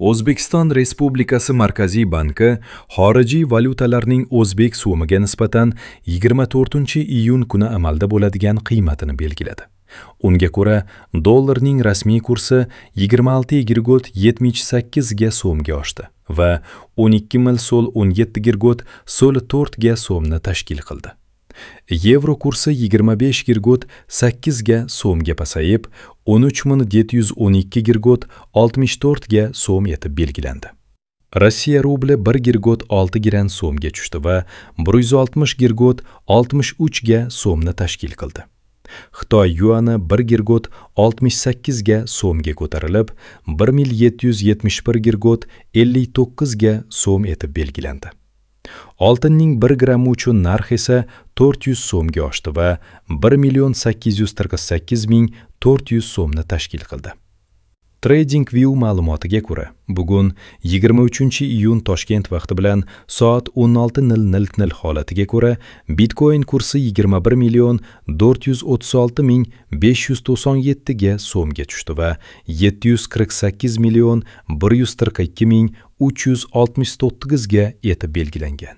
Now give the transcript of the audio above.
O'zbekiston Respublikasi Markaziy banki xorijiy valyutalarning o'zbek so'miga nisbatan 24-iyun kuni amalda bo'ladigan qiymatini belgiladi. Unga ko'ra, dollarning rasmiy kursi 26,78 ga so'mga oshdi va 12,17,04 ga so'mni tashkil qildi. Yevro kursi 25,8 ga so'mga pasayib, 13.712,64 ga so'm etib belgilandi. Rossiya rubli 1,6 giran so'mga tushdi va 160,63 ga so'mni tashkil qildi. Xitoy yuani 1,68 ga so'mga ko'tarilib, 1771,59 ga so'm etib belgilandi. Oltinning 1 grammi uchun narx esa 400 so'mga oshdi va 1 848 400 so'mni tashkil qildi. TradingView ma'lumotiga ko'ra, bugun 23-iyun Toshkent vaqti bilan soat 16:00 holatiga ko'ra, Bitcoin kursi 21 436 597 ga so'mga tushdi va 748 142 369 ga etib belgilangan.